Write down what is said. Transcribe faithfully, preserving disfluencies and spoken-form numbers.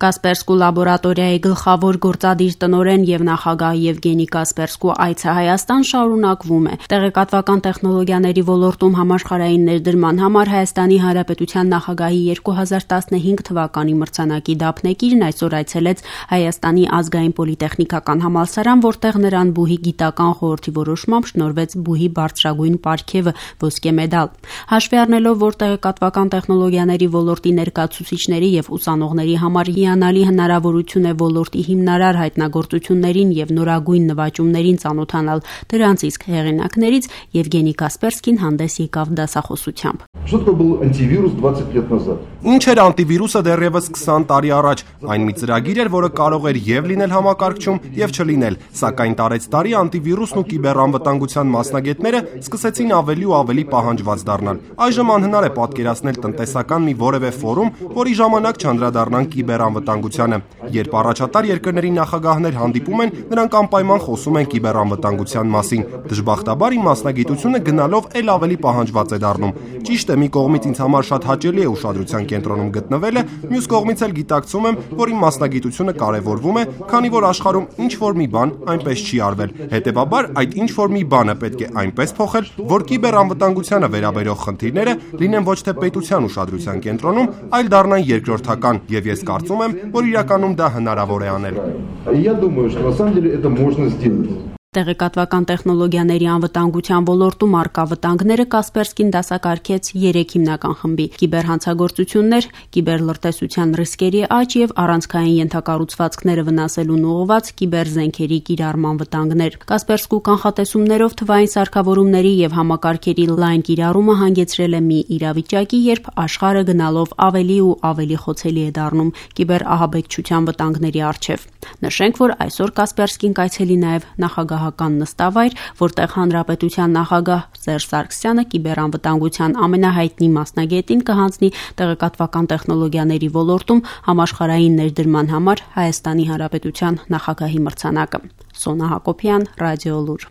Կասպերսկու լաբորատորիայի գլխավոր գործադիր տնօրեն եւ նախագահ Եվգենի Կասպերսկու այցը Հայաստան շարունակվում է։ Տեղեկատվական տեխնոլոգիաների ոլորտում համաշխարհային ներդրման համար Հայաստանի Հանրապետության նախագահի երկու հազար տասնհինգ թվականի մրցանակի դափնեկիրն այսօր այցելեց Հայաստանի ազգային պոլիտեխնիկական համալսարան, որտեղ նրան բուհի գիտական խորհրդի որոշմամբ շնորհվեց բուհի բարձրագույն պարգևը՝ ոսկե մեդալ։ Հաշվի առնելով, որ տեղեկատվական տեխնոլոգիաների ոլորտի ներկայացուցիչների եւ ուսանողների համար հիանալի հնարավորություն է ոլորտի հիմնարար հայտնագործություններին եւ նորագույն նվաճումներին ծանոթանալ, դրանց իսկ հեղինակներից Եվգենի Կասպերսկին հանդես եկավ դասախոսությամբ։ Ինչ էր անտիվիրուսը դեռևս քսան տարի առաջ։ Այն մի ծրագիր էր, որը կարող էր եւ լինել համակարգչում, եւ չլինել, սակայն տարեց տարի անտիվիրուսն ու կիբերանվտանգության մասնագետները սկսեցին ավելի ու ավելի պահանջված դառնալ։ Այժմ անհնար է պատկերացնել տնտեսական մի որևէ ֆորում, որի ժամանակ չանդրադառնան կիբերանվտանգությանը։ Երբ առաջատար երկրների նախագահներ հանդիպում են, նրանք անպայման խոսում են կիբերանվտանգության մասին։ Դժբախտաբար իմ մասնագիտությունը գնալով ել ավելի պահանջված է դառնում։ Ճիշտ է, մի կողմից ինձ համար շատ հաճելի է ուշադրության կենտրոնում գտնվելը, մյուս կողմից էլ գիտակցում եմ, որ իմ մասնագիտությունը կարևորվում է, քանի որ աշխարհում ինչ որ մի բան այնպես չի արվել։ Հետևաբար, այդ ինչ որ մի բանը պետք է այնպես փոխել, որ կիբերանվտանգությանը վերաբերող խնդիրները լինեն ոչ թե պետության ուշադրության կենտրոնում, այլ դառնան երկրորդական, եւ ես կարծում եմ, որ իրականում դա հնարավոր է անել։ Տեղեկատվական տեխնոլոգիաների անվտանգության ոլորտում առկա վտանգները Կասպերսկին դասակարգեց երեք հիմնական խմբի՝ կիբերհանցագործություններ, կիբերլրտեսության ռիսկերի աճ եւ առանցքային ենթակառուցվածքները վնասելուն ուղղված կիբերզենքերի կիրառման վտանգներ։ Կասպերսկու կանխատեսումներով թվային սարքավորումների եւ համակարգերի լայն կիրառումը հանգեցրել է մի իրավիճակի, երբ աշխարհը գնալով ավելի ու ավելի խոցելի է դառնում կիբերահաբեկչության վտանգների առջեւ։ Նշենք, որ այսօր Կասպերսկին կայցելի նաեւ նախագահական նստավայր, որտեղ հանրապետության նախագահ Սերժ Սարգսյանը կիբերանվտանգության ամենահայտնի մասնագետին կհանձնի տեղեկատվական տեխնոլոգիաների ոլորտում համաշխարհային ներդրման համար Հայաստանի Հանրապետության նախագահի մրցանակը։ Սոնա Հակոբյան, Ռադիոլուր։